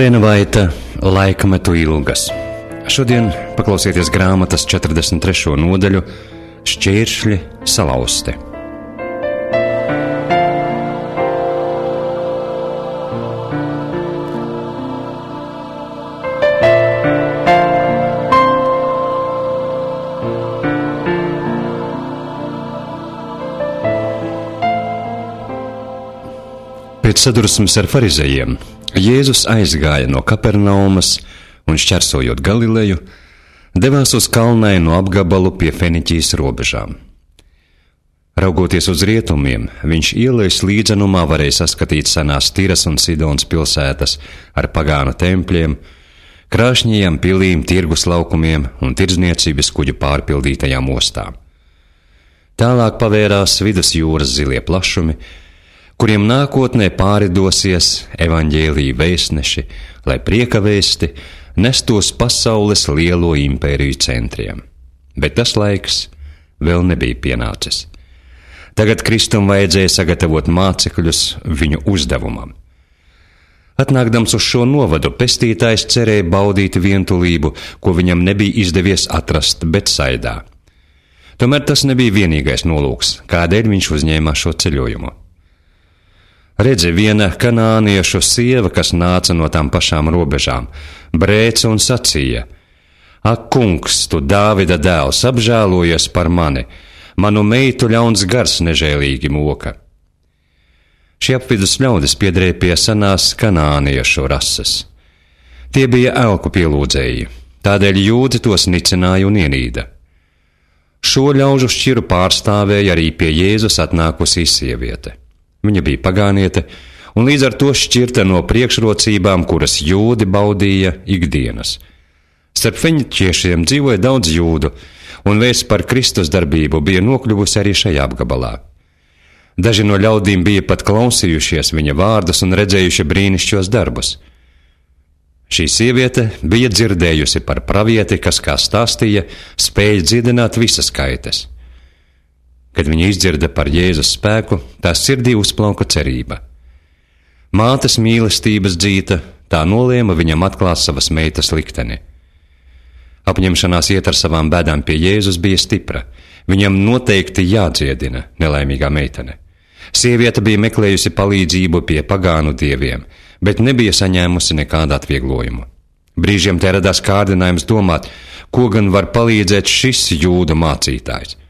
Vilēna Vaita, Laikmetu ilgas. Šodien paklausieties grāmatas 43. nodaļu Šķēršļi salauzti. Pēc sadursmes ar farizejiem Jēzus aizgāja no Kapernaumas un, šķērsojot Galileju, devās uz kalnainu apgabalu pie Feniķijas robežām. Raugoties uz rietumiem, viņš ielas līdzenumā varēja saskatīt senās Tiras un Sidonas pilsētas ar pagānu tempļiem, krāšņajām pilīm, tirgus laukumiem un tirdzniecības kuģu pārpildītajām ostām. Tālāk pavērās vidusjūras zilie plašumi, kuriem nākotnē pāridosies evaņģēlija vēstneši, lai prieka vēsti nestos pasaules lielo impēriju centriem. Bet tas laiks vēl nebija pienācis. Tagad Kristum vajadzēja sagatavot mācekļus viņu uzdevumam. Atnākdams uz šo novadu, pestītājs cerēja baudīt vientulību, ko viņam nebija izdevies atrast Betsaidā. Tomēr tas nebija vienīgais nolūks, kādēļ viņš uzņēmās šo ceļojumu. Redzi, viena kanāniešu sieva, kas nāca no tām pašām robežām, brēca un sacīja: Ak, kungs, tu Dāvida dēls, apžēlojies par mani, manu meitu ļauns gars nežēlīgi moka. Šie apvidus ļaudis piederēja pie senās kanāniešu rases. Tie bija elku pielūdzēji, tādēļ jūdi tos nicināja un ienīda. Šo ļaužu šķiru pārstāvēja arī pie Jēzus atnākusī sieviete. Viņa bija pagāniete un līdz ar to šķirta no priekšrocībām, kuras jūdi baudīja ikdienas. Starp feniķiešiem dzīvoja daudz jūdu, un vēsts par Kristus darbību bija nokļuvusi arī šajā apgabalā. Daži no ļaudīm bija pat klausījušies viņa vārdus un redzējuši brīnišķos darbus. Šī sieviete bija dzirdējusi par pravieti, kas, kā stāstīja, spēja dziedināt visas kaites. Kad viņa izdzirda par Jēzus spēku, tās sirdī uzplauka cerība. Mātes mīlestības dzīta, tā nolēma viņam atklāt savas meitas likteni. Apņemšanās iet ar savām bēdām pie Jēzus bija stipra. Viņam noteikti jādziedina nelaimīgā meitene. Sieviete bija meklējusi palīdzību pie pagānu dieviem, bet nebija saņēmusi nekādu atvieglojumu. Brīžiem te radās kārdinājums domāt, ko gan var palīdzēt šis jūda mācītājs.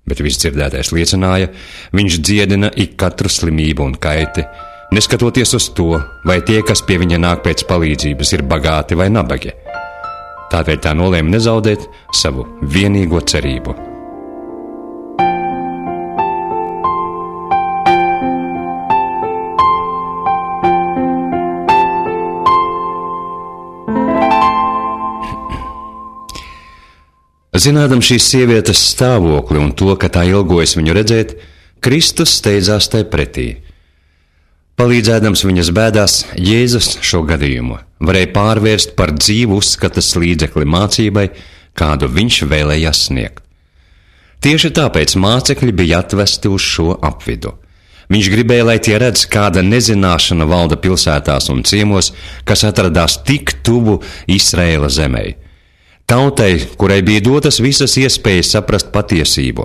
Bet viss dzirdētais liecināja, viņš dziedina ik katru slimību un kaiti, neskatoties uz to, vai tie, kas pie viņa nāk pēc palīdzības, ir bagāti vai nabagi. Tādēļ tā nolēma nezaudēt savu vienīgo cerību. Zinādams šīs sievietes stāvokli un to, ka tā ilgojas viņu redzēt, Kristus steidzās tai pretī. Palīdzēdams viņas bēdās, Jēzus šo gadījumu varēja pārvērst par dzīvu uzskatas līdzekli mācībai, kādu viņš vēlējās sniegt. Tieši tāpēc mācekļi bija atvesti uz šo apvidu. Viņš gribēja, lai tie redz, kāda nezināšana valda pilsētās un ciemos, kas atradās tik tuvu Izraēla zemei. Tautai, kurai bija dotas visas iespējas saprast patiesību,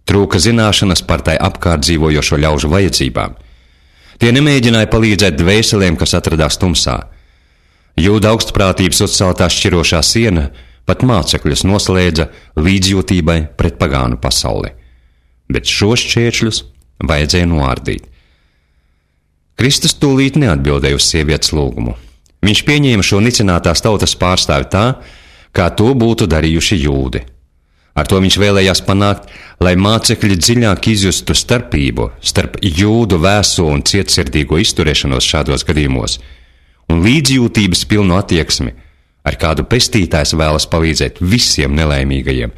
trūka zināšanas par tai apkārt dzīvojošo ļaužu vajadzībām. Tie nemēģināja palīdzēt dvēselēm, kas atradās tumsā. Jūda augstprātības uzceltā šķirošā siena pat mācekļus noslēdza līdzjūtībai pret pagānu pasauli. Bet šos šķēršļus vajadzēja noārdīt. Kristus tūlīt neatbildēja uz sievietes lūgumu. Viņš pieņēma šo nicinātās tautas pārstāvi tā, kā to būtu darījuši jūdi. Ar to viņš vēlējās panākt, lai mācekļi dziļāk izjustu starpību starp jūdu vēso un cietsirdīgo izturēšanos šādos gadījumos un līdzjūtības pilnu attieksmi, ar kādu pestītājs vēlas palīdzēt visiem nelaimīgajiem,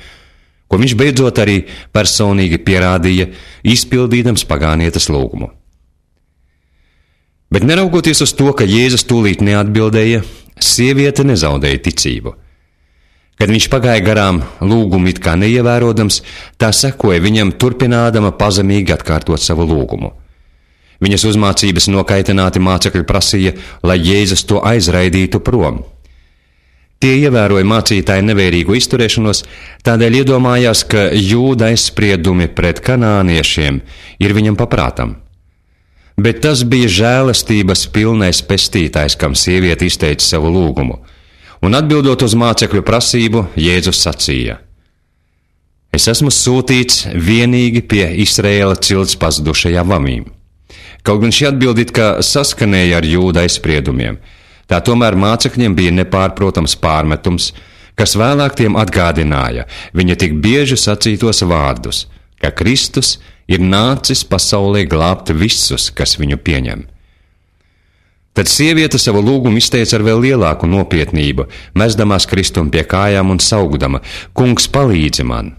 ko viņš beidzot arī personīgi pierādīja, izpildīdams pagānietes lūgumu. Bet neraugoties uz to, ka Jēzus tūlīt neatbildēja, sieviete nezaudēja ticību. Kad viņš pagāja garām lūgumu it kā neievērojams, tā sekoja viņam turpinādama pazemīgi atkārtot savu lūgumu. Viņas uzmācības nokaitināti mācekļi prasīja, lai Jēzus to aizraidītu prom. Tie ievēroja mācītāju nevērīgu izturēšanos, tādēļ iedomājās, ka Jūda aizspriedumi pret kanāniešiem ir viņam paprātam. Bet tas bija žēlastības pilnais pestītājs, kam sieviete izteica savu lūgumu, un atbildot uz mācekļu prasību, Jēzus sacīja: Es esmu sūtīts vienīgi pie Izraēla cilts pazudušajām avīm. Kaut gan šī atbilde it kā saskanēja ar Jūda aizspriedumiem, tā tomēr mācekļiem bija nepārprotams pārmetums, kas vēlāk tiem atgādināja viņa tik bieži sacītos vārdus, ka Kristus ir nācis pasaulē glābt visus, kas viņu pieņem. Tad sieviete savu lūgumu izteica ar vēl lielāku nopietnību, mesdamās Kristum pie kājām un saugdama: Kungs, palīdzi man!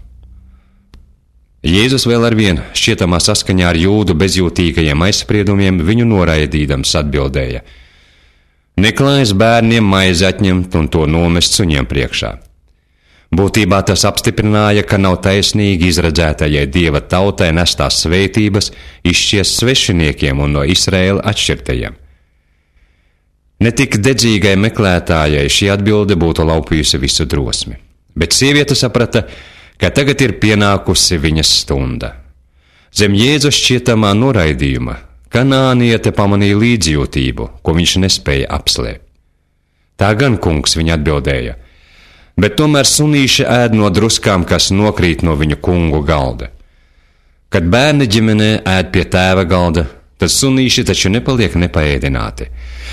Jēzus vēl arvien šķietamā saskaņā ar Jūdu bezjūtīgajiem aizspriedumiem viņu noraidīdams atbildēja: Neklājas bērniem maizi atņemt un to nomest suņiem priekšā. Būtībā tas apstiprināja, ka nav taisnīgi izredzētajai Dieva tautai nestās svētības izšķiest svešiniekiem un no Izraēla atšķirtajiem. Netik dedzīgai meklētājai šī atbilde būtu laupījusi visu drosmi, bet sieviete saprata, ka tagad ir pienākusi viņas stunda. Zem Jēzus šķietamā noraidījuma kanāniete pamanīja līdzjūtību, ko viņš nespēja apslēpt. Tā gan, kungs, viņa atbildēja, bet tomēr sunīši ēd no druskām, kas nokrīt no viņu kungu galda. Kad bērni ģimenē ēd pie tēva galda, tad sunīši taču nepaliek nepaēdināti.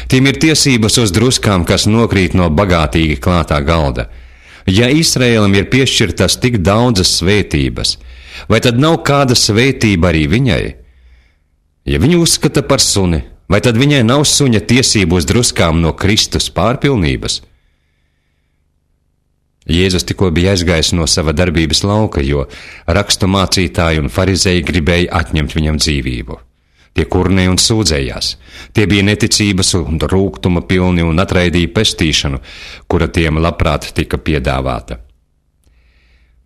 Tiem ir tiesības uz druskām, kas nokrīt no bagātīgi klātā galda. Ja Izraēlam ir piešķirtas tik daudzas svētības, vai tad nav kāda svētība arī viņai? Ja viņu uzskata par suni, vai tad viņai nav suņa tiesību uz druskām no Kristus pārpilnības? Jēzus tikko bija aizgājis no sava darbības lauka, jo rakstu mācītāji un farizēji gribēja atņemt viņam dzīvību. Tie kurnēja un sūdzējās. Tie bija neticības un rūgtuma pilni un atraidīja pestīšanu, kura tiem labprāt tika piedāvāta.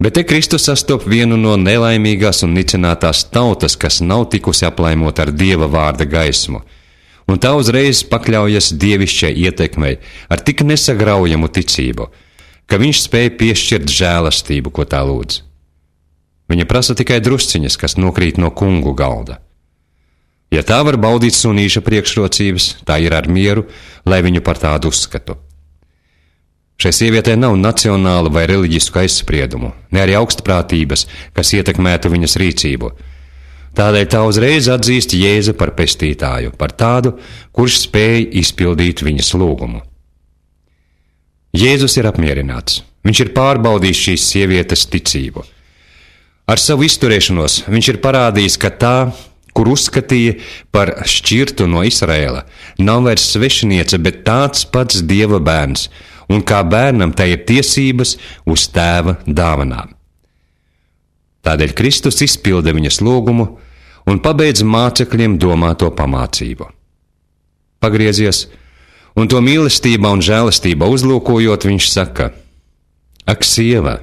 Bet te Kristus sastop vienu no nelaimīgās un nicinātās tautas, kas nav tikusi aplaimota ar Dieva vārda gaismu, un tā uzreiz pakļaujas dievišķai ietekmei ar tik nesagraujamu ticību, ka viņš spēja piešķirt žēlastību, ko tā lūdz. Viņa prasa tikai drusciņas, kas nokrīt no kungu galda. Ja tā var baudīt sunīša priekšrocības, tā ir ar mieru, lai viņu par tādu uzskatu. Šai sievietei nav nacionālu vai reliģisku aizspriedumu, ne arī augstprātības, kas ietekmētu viņas rīcību. Tādēļ tā uzreiz atzīst Jēzu par pestītāju, par tādu, kurš spēj izpildīt viņas lūgumu. Jēzus ir apmierināts. Viņš ir pārbaudījis šīs sievietes ticību. Ar savu izturēšanos viņš ir parādījis, ka tā, kur uzskatīja par šķirtu no Izraēla, nav vairs svešiniece, bet tāds pats Dieva bērns, un kā bērnam tai ir tiesības uz tēva dāvanām. Tādēļ Kristus izpilda viņas lūgumu un pabeidz mācekļiem domāto pamācību. Pagriezies, un to mīlestībā un žēlastībā uzlūkojot, viņš saka: Ak, sieva,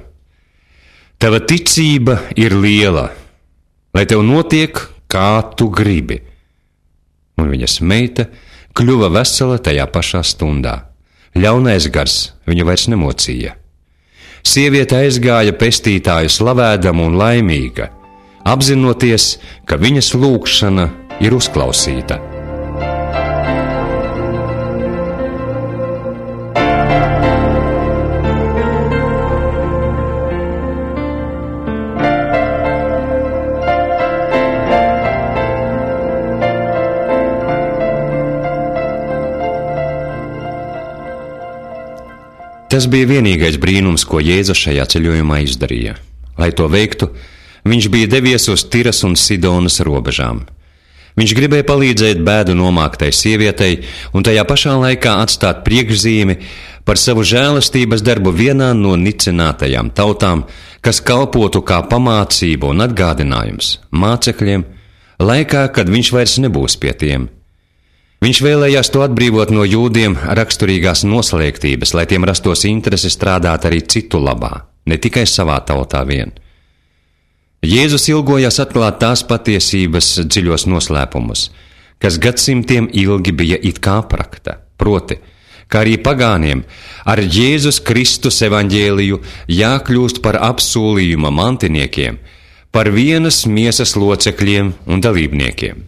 tava ticība ir liela, lai tev notiek, kā tu gribi. Un viņas meita kļuva vesela tajā pašā stundā. Ļaunais gars viņu vairs nemocīja. Sieviete aizgāja pestītāju slavēdama un laimīga, apzinoties, ka viņas lūgšana ir uzklausīta. Tas bija vienīgais brīnums, ko Jēzus šajā ceļojumā izdarīja. Lai to veiktu, viņš bija devies uz Tiras un Sidonas robežām. Viņš gribēja palīdzēt bēdu nomāktai sievietei un tajā pašā laikā atstāt priekšzīmi par savu žēlastības darbu vienā no nicinātajām tautām, kas kalpotu kā pamācība un atgādinājums mācekļiem, laikā, kad viņš vairs nebūs pie tiem. Viņš vēlējās to atbrīvot no jūdiem raksturīgās noslēgtības, lai tiem rastos interese strādāt arī citu labā, ne tikai savā tautā vien. Jēzus ilgojās atklāt tās patiesības dziļos noslēpumus, kas gadsimtiem ilgi bija it kā aprakta, proti, kā arī pagāniem, ar Jēzus Kristus evaņģēliju jākļūst par apsolījuma mantiniekiem, par vienas miesas locekļiem un dalībniekiem.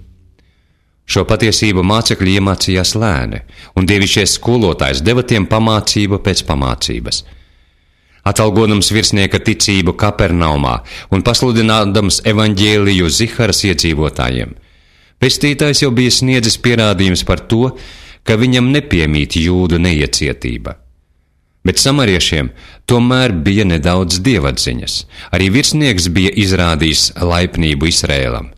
Šo patiesību mācekļi iemācījās lēni, un dievišķais skolotājs deva tiem pamācību pēc pamācības. Atalgodams virsnieka ticību Kapernaumā un pasludinādams evaņģēliju Ziharas iedzīvotājiem, pestītājs jau bija sniedzis pierādījums par to, ka viņam nepiemīt jūdu neiecietība. Bet samariešiem tomēr bija nedaudz dievatziņas. Arī virsnieks bija izrādījis laipnību Izrēlam.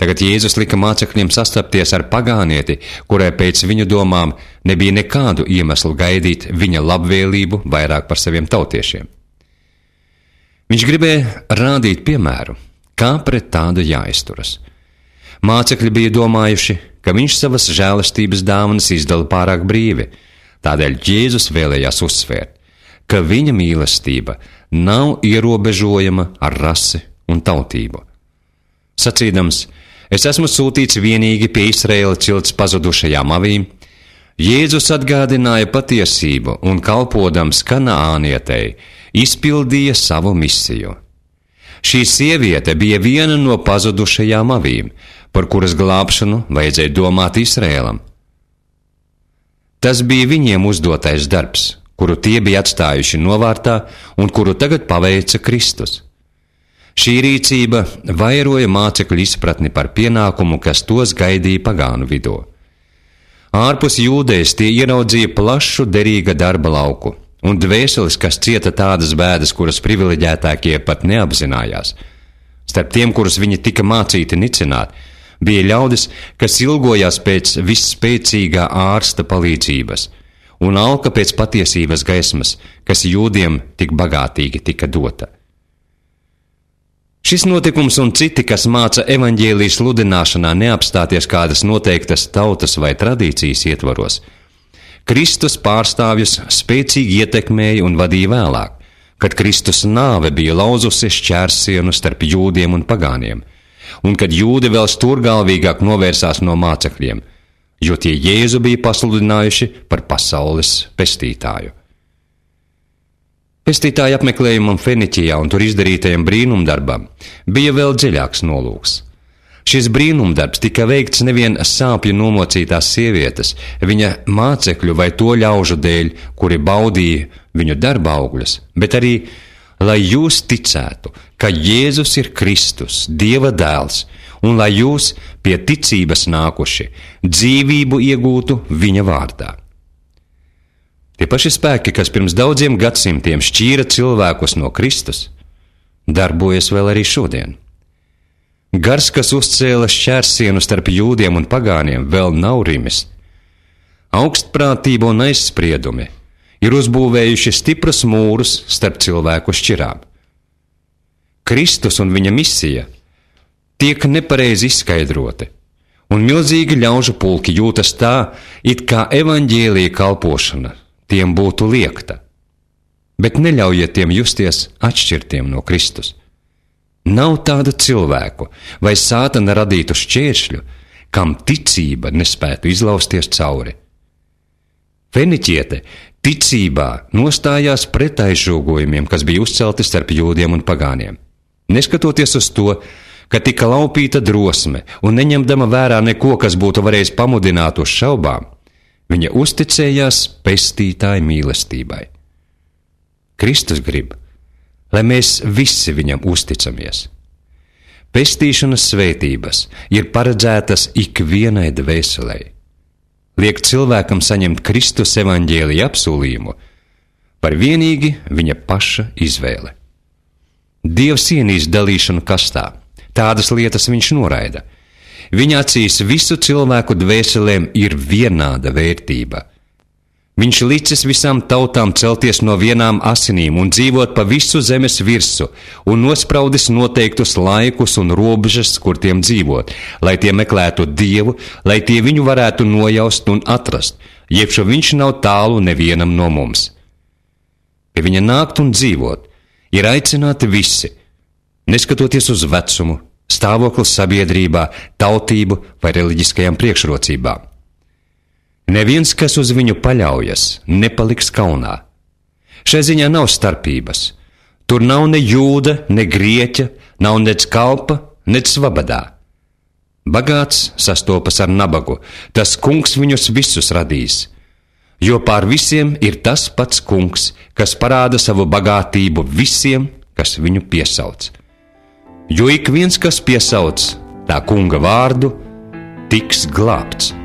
Tagad Jēzus lika mācekļiem sastapties ar pagānieti, kurai pēc viņu domām nebija nekādu iemeslu gaidīt viņa labvēlību vairāk par saviem tautiešiem. Viņš gribēja rādīt piemēru, kā pret tādu jāizturas. Mācekļi bija domājuši, ka viņš savas žēlastības dāvanas izdala pārāk brīvi, tādēļ Jēzus vēlējās uzsvērt, ka viņa mīlestība nav ierobežojama ar rasi un tautību. Sacīdams, es esmu sūtīts vienīgi pie Izraēla cilts pazudušajām avīm, Jēzus atgādināja patiesību un kalpodams Kanaānietei izpildīja savu misiju. Šī sieviete bija viena no pazudušajām avīm, par kuras glābšanu vajadzēja domāt Izraēlam. Tas bija viņiem uzdotais darbs, kuru tie bija atstājuši novārtā un kuru tagad paveica Kristus. Šī rīcība vairoja mācekļu izpratni par pienākumu, kas tos gaidīja pagānu vidū. Ārpus Jūdejas tie ieraudzīja plašu derīga darba lauku un dvēseles, kas cieta tādas bēdas, kuras privileģētākie pat neapzinājās. Starp tiem, kurus viņi tika mācīti nicināt, bija ļaudis, kas ilgojās pēc visspēcīgā ārsta palīdzības un alka pēc patiesības gaismas, kas jūdiem tik bagātīgi tika dota. Šis notikums un citi, kas māca evaņģēlijas sludināšanā neapstāties kādas noteiktas tautas vai tradīcijas ietvaros, Kristus pārstāvjus spēcīgi ietekmēja un vadīja vēlāk, kad Kristus nāve bija lauzusi šķērsienu starp jūdiem un pagāniem, un kad jūdi vēl stūrgalvīgāk novērsās no mācekļiem, jo tie Jēzu bija pasludinājuši par pasaules pestītāju. Pestītāja apmeklējumam Feniķijā un tur izdarītajam brīnumdarbam bija vēl dziļāks nolūks. Šis brīnumdarbs tika veikts nevien sāpju nomocītās sievietes, viņa mācekļu vai to ļaužu dēļ, kuri baudīja viņu darba augļus, bet arī, lai jūs ticētu, ka Jēzus ir Kristus, Dieva dēls, un lai jūs pie ticības nākuši dzīvību iegūtu viņa vārdā. Tie paši spēki, kas pirms daudziem gadsimtiem šķīra cilvēkus no Kristus, darbojas vēl arī šodien. Gars, kas uzcēla šķērsienu starp jūdiem un pagāniem, vēl nav rimis. Augstprātība un aizspriedumi ir uzbūvējuši stiprus mūrus starp cilvēku šķirām. Kristus un viņa misija tiek nepareizi izskaidroti, un milzīgi ļaužu pulki jūtas tā, it kā evaņģēlija kalpošana tiem būtu liekta. Bet neļaujiet tiem justies atšķirtiem no Kristus. Nav tādu cilvēku vai sātana radītu šķēršļu, kam ticība nespētu izlausties cauri. Feniķiete ticībā nostājās pret aizžogojumiem, kas bija uzcelti starp jūdiem un pagāniem. Neskatoties uz to, ka tika laupīta drosme un neņemdama vērā neko, kas būtu varējis pamudināt uz šaubām, viņa uzticējās pestītāja mīlestībai. Kristus grib, lai mēs visi viņam uzticamies. Pestīšanas svētības ir paredzētas ikvienai dvēselei. Liek cilvēkam saņemt Kristus evaņģēlija apsolījumu par vienīgi viņa paša izvēle. Dievs ienīst dalīšanu kastā, tādas lietas viņš noraida. Viņa acīs visu cilvēku dvēselēm ir vienāda vērtība. Viņš licis visām tautām celties no vienām asinīm un dzīvot pa visu zemes virsu un nospraudis noteiktus laikus un robežas, kur tiem dzīvot, lai tie meklētu Dievu, lai tie viņu varētu nojaust un atrast, jebšu viņš nav tālu nevienam no mums. Pie viņa nākt un dzīvot ir aicināti visi, neskatoties uz vecumu, stāvoklis sabiedrībā, tautību vai reliģiskajām priekšrocībām. Neviens, kas uz viņu paļaujas, nepaliks kaunā. Šai ziņā nav starpības. Tur nav ne jūda, ne grieķa, nav nec kalpa, nec svabadā. Bagāts sastopas ar nabagu, tas kungs viņus visus radīs. Jo pār visiem ir tas pats kungs, kas parāda savu bagātību visiem, kas viņu piesauc. Jo ik viens, kas piesauc tā kunga vārdu, tiks glābts.